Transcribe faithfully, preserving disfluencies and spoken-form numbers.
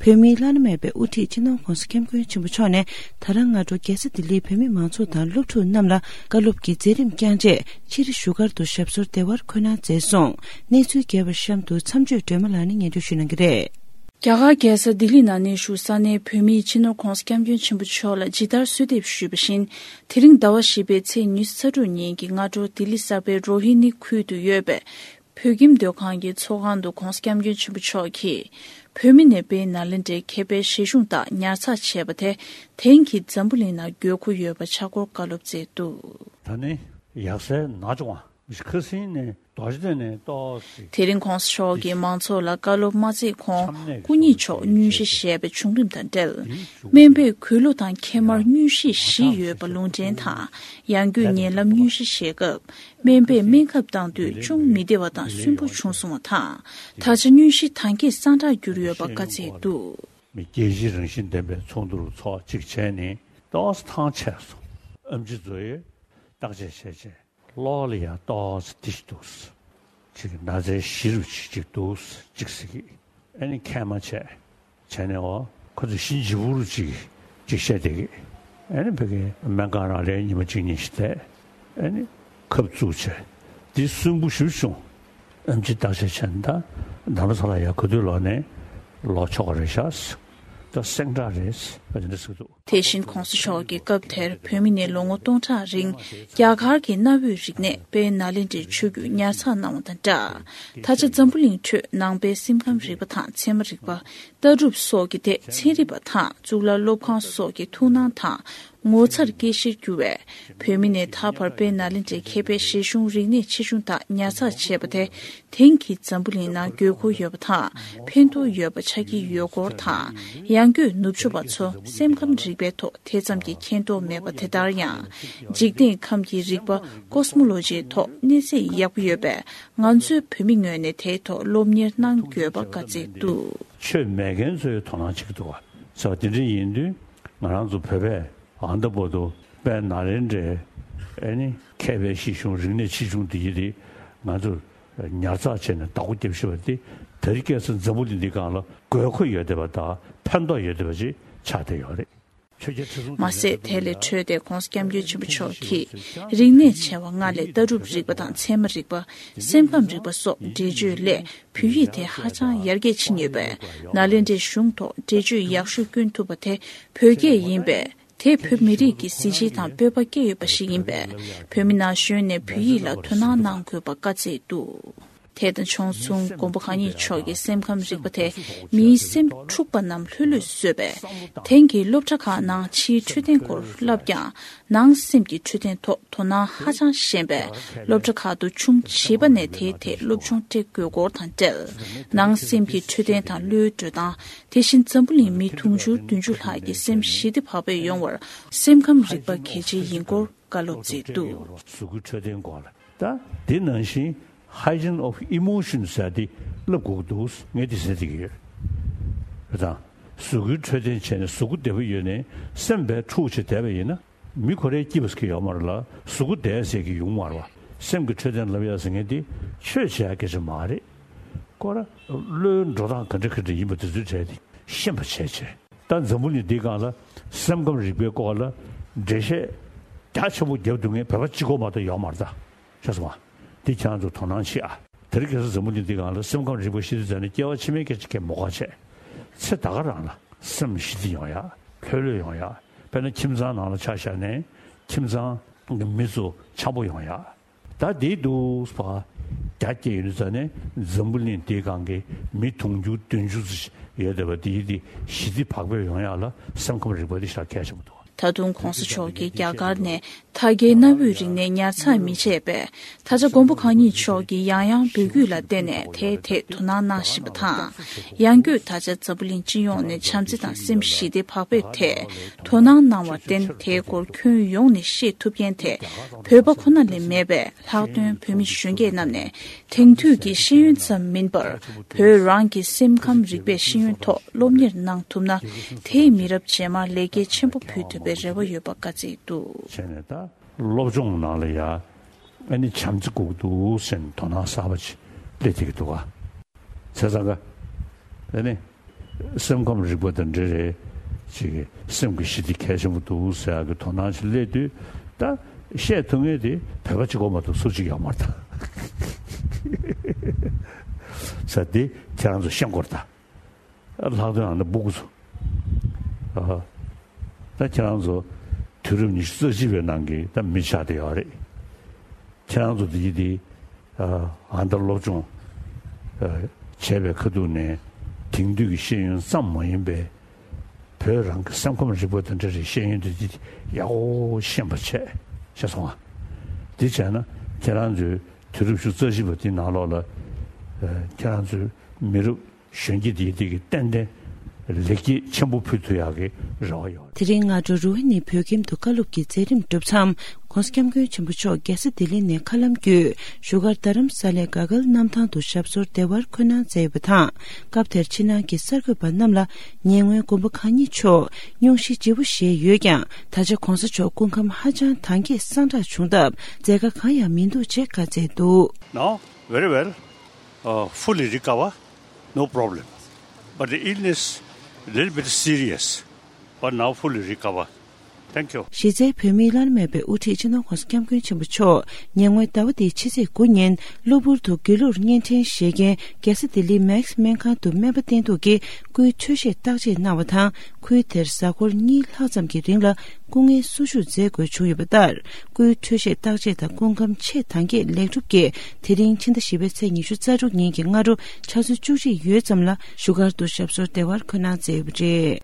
བོད་མིའི་བླ་ན་མེད་པའི་དབུ་ཁྲིད་སྤྱི་ནོར་༸གོང་ས་༸སྐྱབས་མགོན་ཆེན་པོ་མཆོག་ནས་ད་རང་སྔ་དྲོ་རྒྱལ་ས་ལྡི་ལིའི་བོད་མི་མང་ཚོགས་དང་སློབ་ཕྲུག་རྣམས་ལ་བཀའ་སློབ་ཀྱི་མཛད་རིམ་བསྐྱངས་རྗེས་ཕྱིར་བཞུགས་སྒར་དུ་ཞབས་སོར་བདེ་བར་འཁོད་གནང་མཛད་སོང་། གནས་ཚུལ་རྒྱས་པ་གཤམ་དུ་མཚམས་གཅོད་སྒྲོལ་མ་ལགས་ནས་སྙན་སྒྲོན་ཞུ་གནང་གི་རེད། རྒྱ་གར་རྒྱལ་ས་ལྡི་ལི་ནང་གནས་བཞུགས་ས་གནས་བོད་མིས་སྤྱི་ནོར་༸གོང་ས་༸སྐྱབས་མགོན་ཆེན་པོ་མཆོག་ལ་ཇི་ལྟར་གསོལ་འདེབས་ཞུས་པ་བཞིན། དེ་རིང་ཟླ་བ་བཞི་པའི་ཚེས་ཉི་ཤུ་རྩ་དྲུག་ཉིན་གྱི་སྔ་དྲོ་ལྡི་ལི་གསར་པའི་རོ་ཧི་ནི་ཁུལ་དུ་ཡོད་པའི་བོད་ཁྱིམ་སྡོད་ཁང་གི་ཚོགས་ཁང་དུ་༸གོང་ས་༸སྐྱབས་མགོན་ཆེན་པོ་མཆོག་གིས་བོད་མི་ནས་དཔལ་ནཱ་ལེནྡྲའི་མཁས་པའི་བཞེད་གཞུང་དག་ཉར་ཚགས་བྱས་པ་དེ་དེང་གི་འཛམ་བུ་གླིང་ནང་དགོས་མཁོ་ཡོད་པ་ཆགས་སྐོར་བཀའ་སློབ་སྩལ་འདུག། ད་ནི་ཡག་སའི་ན་ཅོ་ཝང་ཁ་སིང་ནས་རྡོ་རྗེ་གདན་ནས་ཏོག་ཙམ། དེ་རིང་༸གོང་ས་མཆོག་གིས་མང་ཚོགས་ལ་བཀའ་སློབ་མ་སྩལ་གོང་སྐུ་ཉིད་མཆོག་སྙུན་གཞི་བཞེས་པའི་བྱུང་རིམ་དང་འབྲེལ། སྨན་པས་གུས་ལོ་དང་ཁེ་མར་སྙུན་གཞི་བཞི་ཡོད་པ་ལུང་འདྲེན་དང་། ཡང་སྒོས་ཉེ་ལམ་སྙུན་གཞི་བཞེས་སྐབས་སྨན་པས་སྨན་ཁབ་བཏང་དུས་ཅུང་མི་བདེ་བ་དང་སུན་པོ་བྱུང་སོང་བ་དང་། ད་ཆ་སྙུན་གཞི་ད་གིན་སངས་དྲག་གྱུར་ཡོད་པ་བཀའ་སྩལ་འདུག། མི་རྒྱལ་སྤྱིའི་རང་བཞིན་ལྡན་པའི་ཚོགས་འདུར་ཚོགས་གཅིག་བྱས་ནས་ཏོག་ཙམ་ཐང་ཆད་སོང་། ཨེམ་ཆི་ཚོ་ཡིས་བརྟག་དཔྱད་བྱས་རྗེས། གློ་ལ་ཡང་ཏོག་ཙམ་འདི་ཞིག་འདུག། ཅིག་ན་ཚའི་གཞི་རུ་ཅིག་ཅིག་འདུག་ཅིག་ཟེར་གི། ཨ་ནི་མཁལ་མ་བྱས། བྱས་ནས་འོ་ཁོ་ཚོ་གཞི་ལྗིད་པོ་རུ་ཅིག་ཅིག་བཤད་བསྡད་གི། ཨ་ནི་ཕ་གི་སྨན་ཁང་རང་རེད། ཉི་མ་གཅིག་གཉིས་ཤིག་བསྡད། ཨ་ནི་ཁབ་བཙུགས་བྱས། འདི་སུན་པོ་ཞེ་པོ་བྱུང་། ཨེམ་ཆི་བརྟག་དཔྱད་བྱས་ན་ད་རྡ་རམ་ས་ལ་ཡར་ག་དུས་ལོག་ནས་ལོག་ཆོག་གི་རེད་ཤག། ད་སེང་དྲག་རེད་ཟེར་བ་དེ་འདྲ་ཟེར་གི་འདུག། དེ་བཞིན་༸གོང་ས་མཆོག་གིས་སྐབས་དེར་བོད་མི་ནས་ལོ་ངོ་སྟོང་ཕྲག་རིང་རྒྱ་གར་གྱི་གནའ་བོའི་རིག་གནས་དཔལ་ནཱ་ལེནྡྲའི་ཆོས་བརྒྱུད་ཉར་ཚགས་གནང་བ་དང་སྦྲགས། ད་ཆ་འཛམ་བུ་གླིང་ཁྲོད་ནང་པའི་སེམས་ཁམས་རིག་པ་དང་ཚད་མ་རིག་པ། ལྟ་གྲུབ་སོགས་ཀྱི་ཐད་ཚན་རིག་པ་དང་གཙུག་ལག་སློབ་ཁང་སོགས་ཀྱི་ཐུགས་སྣང་དང་ངོ་མཚར་སྐྱེ་གཞིར་གྱུར་བས། བོད་མི་ནས་ད་བར་དཔལ་ནཱ་ལེནྡྲའི་མཁས་པའི་བཞེད་གཞུང་རིག་གནས་ཆེ་ཆུང་དག་ཉར་ཚགས་བྱས་པ་དེ་དེང་གི་འཛམ་བུ་གླིང་ནང་དགོས་མཁོ་ཡོད་པ་དང་ཕན་ཐོགས་ཡོད་པ་ཆགས་ཀྱི་ཡོད་སྐོར་དང་། ཡང་སྒོས་ནུབ་ཕྱོགས་པ་ཚོ་སེམས་ཁམས་རིག་པའི་ཐོག་དེ་ཙམ་གྱི་མཁྱེན་རྟོགས་མེད་པ་དེ་ལྟར་ཡང་། འཇིག་རྟེན་ཁམས་ཀྱི་རིག་པ་ཀོ་སི་མོ་ལོ་ཇིའི་ཐོག་གནས་ཚད་ཡག་པོ་ཡོད་པས། ང་ཚོའི་བོད་མི་ངོས་ནས་དེའི་ཐོག་སློབ་གཉེར་གནང་དགོས་པ་བཀའ་སྩལ་འདུག། ཆོས་མེད་མཁན་ཚོས་དོ་སྣང་བྱེད་ཀྱི་འདུག་བ། ཟེར་བ་དེ་འདྲ་ཡིན་དུས་ང་རང་ཚོ་བོད་པས་ཨ་ད་བར་དུ་དཔལ་ནཱ་ལེནྡྲའི་ཨ་ནི་མཁས་པའི་བཞེད་གཞུང་རིག་གནས་ཆེ་ཆུང་དེ་ཡི་རིགས་ང་ཚོ་ཉར་ཚགས་བྱས་ནས་བདག་པོ་རྒྱབ་ཤེས་པ་དེ་དེ་རིང་ཁ་སང་འཛམ་བུ་གླིང་འདིའི་སྒང་ལ་དགོས་མཁོ་ཡོད་བསྡད་པ་དང་ཕན་ཐོགས་ཡོད་བསྡད་པ་ཅིག་ཆགས་བསྡད་ཡོད་རེད། མ་ཟད་དེ་ལས་འཕྲོས་ཏེ་༸གོང་ས་༸སྐྱབས་མགོན་ཆེན་པོ་མཆོག་གིས་རིག་གནས་ཆེ་བ་ལྔ་ལས་ལྟ་གྲུབ་རིག་པ་དང་ཚད་མ་རིག་པ། སེམས་ཁམས་རིག་པ་སོགས་འགྲེལ་བརྗོད་སླད་བོད་ཡིག་དེ་ཧ་ཅང་ཡར་རྒྱས་ཕྱིན་ཡོད་པས། ནཱ་ལེནྡྲའི་གཞུང་ཐོག་འགྲེལ་བརྗོད་ཡག་ཤོས་བསྐྱོན་ཐུབ་པ་དེ་བོད་སྐད་ཡིན་པས། དེས་བོད་མི་རིགས་ཀྱི་གཟི་བརྗིད་དང་སྤོབས་པ་སྐྱེ་ཡོད་པ་ཞིག་ཡིན་པས། བོད་མི་ན་གཞོན་ནས་བོད་ཡིག་ལ་དོ་སྣང་གནང་དགོས་པ་བཀའ་སྩལ་འདུག། དེ་དང་ཕྱོགས་མཚུངས་མགོན་པོ་གང་ཉིད་མཆོག་གིས་སེམས་ཁམས་རིག་པ་དེ་མིའི་སེམས་འཁྲུགས་པ་རྣམས་ལྷོད་ལྷོད་བཟོས་པས། དེང་གི་སློབ་གྲྭ་ཁག་ནང་ཕྱིའི་འཕྲོད་བསྟེན་སྐོར་བསླབ་ཀྱང་ནང་སེམས་ཀྱི་འཕྲོད་བསྟེན་ཐོག་དོ་སྣང་ཧ་ཅང་ཞན་པས། སློབ་གྲྭ་ཁག་ཏུ་ཆུང་བྱིས་པ་ནས་དེའི་ཐད་སློབ་སྦྱོང་སྤྲད་དགོས་སྐོར་དང་འབྲེལ། ནང་སེམས་ཀྱི་འཕྲོད་བསྟེན་དང་བློའི་འགྲོ་སྟངས། དེ་བཞིན་འཛམ་བུ་གླིང་མི་དུང་ཕྱུར་བདུན་ཅུ་ལྷག་གི་སེམས་ཞི་བདེ་བག་ཕེབས་ཡོང་བར་སེམས་ཁམས་རིག་པ་གལ་ཆེ་ཡིན་སྐོར་བཀའ་སློབ་སྩལ་འདུག། གཟུགས་པོའི་འཕྲོད་བསྟེན་སྐོར་ལ། ད་འདི་ནང་བཞིན་hygiene of emotions ཟེར་དེ་བསླབ་དགོས་ཀྱི་འདུག། ངས་འདི་ཟེར་བསྡད་ཀྱི་ཡོད། རེད་དང་། གཟུགས་པོའི་འཕྲོད་བསྟེན་བྱས་ནས་གཟུགས་པོ་བདེ་པོ་ཡོད་ནས་སེམས་པའི་འཁྲུག་བྱས་བསྡད་པ་ཡིན་ན་མི་ཁོ་རའི་སྐྱིད་པ་ཟེར་གྱི་ཡོད་མ་རེད་ལ། གཟུགས་པོ་བདེ་ཟེར་གྱི་ཡོང་མ་རེད་བ། སེམས་ཀྱི་འཕྲོད་བསྟེན་ལབ་ཡ་ཟེར་མཁན་དེ་ཆོས་བྱེད་ཡ་སྐད་ཆ་མ་རེད། ཁོ་ར་བློའི་འགྲོ་སྟངས་ག་འདྲ་ག་འདྲ་ཡིན་པ་དེ་ཚོའི་གྲས་དེ་ཤེས་པ་བྱས་བྱས། ད་འཛམ་བུ་གླིང་འདིའི་སྒང་ལ་སེམས་ཁམས་རིག་པའི་སྐོར་ལ་འགྲེལ་བཤད་རྒྱ་ཆེན་པོ་རྒྱབ་འདུག་མཁན་བོད་པ་གཅིག་པོ་མ་གཏོགས་ཡོད་མ་རེད་ད། ཤེས་སོང་ང་། འདི་ཁྱེད་རང་ཚོ་དོ་སྣང་བྱེད་ཨ། དེ་རིང་ཁ་སང་འཛམ་བུ་གླིང་འདིའི་སྒང་ལ་སེམས་ཁམས་རིག་པ་ཤེས་དུས་ཙམ་ནས་སྐྱེ་བ་ཕྱི་མའི་སྐད་ཆ་གས་མ་དགོས་བྱས། ཚེ་ད་ག་རང་ལ་སེམས་ཞི་བདེ་ཡོང་ཡ། ལྷོད་ལྷོད་ཡོང་ཡ། དཔེར་ན་ཁྱིམ་ཚང་ནང་ལ་ཆ་བཞག་ནས་ཁྱིམ་ཚང་གི་མི་ཚོ་འཆམ་པོ་ཡོང་ཡ། ད་དེའི་འདུག་པ། རྒྱ་སྐྱེད་ཡོད་ཙང་ནས་འཛམ་བུ་གླིང་འདིའི་སྒང་གི་མི་དུང་ཕྱུར་བདུན་ཅུ་ཙམ་ཡོད་བསྡད་པ་དེའི་དེ་ཞི་བདེ་བག་ཕེབས་ཡོང་ཡག་ལ་སེམས་ཁམས་རིག་པ་དེ་ཞེ་དྲག་གལ་ཆེན་པོ་འདུག། ད་དུང་༸གོང་ས་མཆོག་གིས་རྒྱ་གར་ནས་ད་གའི་གནའ་བོའི་རིག་གནས་ཉར་ཚགས་མི་བྱས་པས། ད་ཆ་མགོན་པོ་གང་ཉིད་མཆོག་གིས་ཡང་ཡང་འབོད་སྐུལ་ལ་བརྟེན་ནས་དེའི་ཐད་དོ་སྣང་གནང་བཞིན་པ་དང་། ཡང་སྒོས་ད་ཆ་འཛམ་བུ་གླིང་སྤྱི་ཡོངས་ནས་བྱམས་བརྩེ་དང་སེམས་ཞི་བདེ་བག་ཕེབས་ཐད་དོ་སྣང་གནང་བར་བརྟེན། དེའི་སྐོར་ཁྱོན་ཡོངས་ནས་ཤེས་ཐུབ་མཁན་དེ་བོད་པ་ཁོ་ན་ལས་མེད་པས། ལྷག་དོན་བོད་མི་གཞོན་སྐྱེས་རྣམས་ནས་དེང་དུས་ཀྱི་ཤེས་ཡོན་ཙམ་མིན་པར་བོད་རང་གི་སེམས་ཁམས་རིག་པའི་ཤེས་ཡོན་ཐོག་སློབ་གཉེར་གནང་ཐུབ་ན། དེས་མི་རབས་རྗེས་མར་ལེགས་སྐྱེས་ཆེན་པོ་ཕུལ་ཐུབ་པའི་རེ་བ་ཡོད་པ་བཀའ་སྩལ་འདུག། བྱས་ནས་ད་སློབ་སྦྱོང་ནང་ལ་ཡ་ཨ་ནི་བྱམས་བརྩེ་དགོས་ཀྱི་འདུག་ཟེར་ནས་དོ་སྣང་གསར་པ་ཅིག་སླེབས་བསྡད་ཀྱི་འདུག་ག། བྱས་ཙང་ག་ཨ་ནི་ སེམས་ཁམས་རིག་པ་དང་འབྲེལ་རེད། ཅིག་སེམས་ཀྱི་ཞི་བདེ་གལ་ཆེན་པོ་འདུག་ཟེར་ཡག་གི་དོ་སྣང་ཞིག་སླེབས་དུས། ད་བཤད་ཐུབ་མཁན་དེ་བོད་པ་གཅིག་པོ་མ་གཏོགས་སུ་གཅིག་ཡོད་མ་རེད་ད། ས་དེ་ཁྱེད་རང་ཚོ་ཤེས་དགོས་རེད་ད། ལྷག་དོན་ཨ་ནི་སྤུ་གུ་ཚོ། ཨ། ད་ཁྱེད་རང་ཚོ་དུས་རབས་ཉི་ཤུ་རྩ་གཅིག་པའི་ནང་གི་ད་མི་ཆགས་བསྡད་ཡོད་རེད། ཁྱེད་རང་ཚོ་འདི་འདི། ཨ། ཨ་ད་སློབ་སྦྱོང་། ཨ། བྱས་པའི་ཁ་ཐུག་ནས་དེང་དུས་ཀྱི་ཤེས་ཡོན་ཙམ་མ་ཡིན་པའི། བོད་རང་གི་སེམས་ཁམས་རིག་པ་དང་འབྲེལ་བའི་ཤེས་ཡོན་འདི་འདི་ཡག་པོ་ཤེས་པ་བྱས། ཤེས་སོང་ང་། འདི་བྱས་ན་ཁྱེད་རང་ཚོའི་དུས་རབས་ཉི་ཤུ་རྩ་གཅིག་པ་འདི་ནང་ལོགས་ལ། ཨ། ཁྱེད་རང་ཚོའི་མི་རབས་གཞོན་སྐྱེས་འདི་འདི་གི་ཏན་ཏན་ལེགས་སྐྱེས་ཆེན་པོ་ཕུལ་ཐུབ་ཡག་གི་རེ་བ་ཡོད། དེ་རིང་སྔ་དྲོ་རུ་ཝི་ནི་བོད་ཁྱིམ་དུ་བཀའ་སློབ་ཀྱི་མཛད་རིམ་གྲུབ་མཚམས། ྋགོང་ས་ྋསྐྱབས་མགོན་ཆེན་པོ་མཆོག་རྒྱལ་ས་ལྡི་ལི་ནས་མཁའ་ལམ་བརྒྱུད། བཞུགས་སྒར་རྡ་རམ་ས་ལའི་དགའ་སྐལ་གནམ་ཐང་དུ་ཞབས་སོར་བདེ་བར་འཁོད་གནང་མཛད་ཡོད་པ་དང་། སྐབས་དེར་ཕྱི་ནང་གི་གསར་འགོད་པ་རྣམས་ལ། ཉེ་སྔོན་མགོན་པོ་གང་ཉིད་མཆོག་སྙུང་གཞི་ལྗིད་པོ་བཞེས་ཡོད་ཀྱང་། ད་ཆ་ྋགོང་ས་མཆོག་སྐུ་ཁམས་ཧ་ཅང་ཐང་རྒྱས་སངས་དྲག་བྱུང་སྟབས། མཛད་དཀའ་གང་ཡང་མི་འདུག་ཅེས་བཀའ་སྩལ་འདུག Now, very well, uh, fully recover, no problem. But the illness, a little bit serious, but now fully recover. Thank you. གཞི་རྩའི་བོད་མིའི་བླ་ན་མེད་པའི་དབུ་ཁྲིད་སྤྱི་ནོར་ྋགོང་ས་ྋསྐྱབས་མགོན་ཆེན་པོ་མཆོག་ཉེ་སྔོན་ཟླ་བ་འདིའི་ཕྱི་ཚེས་དགུ་ཉིན་གློ་བུར་དུ་སྒྱིད་ལུག་གཉན་འཕྲང་བཞེས་རྐྱེན། རྒྱལ་ས་ལྡི་ལིའི་མེག་སི་སྨན་ཁང་དུ་སྨན་པ་བསྟེན་གཏུགས་ཀྱིས་སྐུའི་འཕྲོད་བཞེས་བརྟག་དཔྱད་གནང་བ་དང་། ཁུལ་དེར་གཟའ་འཁོར་གཉིས་ལྷག་ཙམ་གྱི་རིང་ལ་སྐུ་ངལ་གསོ་བཅུག་མཛད་དགོས་བྱུང་ཡོད་པ་ལྟར། སྐུའི་འཕྲོད་བཞེས་བརྟག་དཔྱད་དང་སྐུ་ཁམས་ཆེས་ཐང་རྒྱས་ལེགས་གྲུབ་ཀྱིས། དེ་རིང་ཕྱི་ཟླ་བཞི་པའི་ཚེས་ཉི་ཤུ་རྩ་དྲུག་ཉིན་གྱི་སྔ་དྲོ་ཆུ་ཚོད་བཅུ་གཅིག་ཡོལ་ཙམ་ལ་བཞུགས་སྒར་དུ་ཞབས་སོར་བདེ་བར་འཁོད་གནང་མཛད་ཡོད་པ་རེད།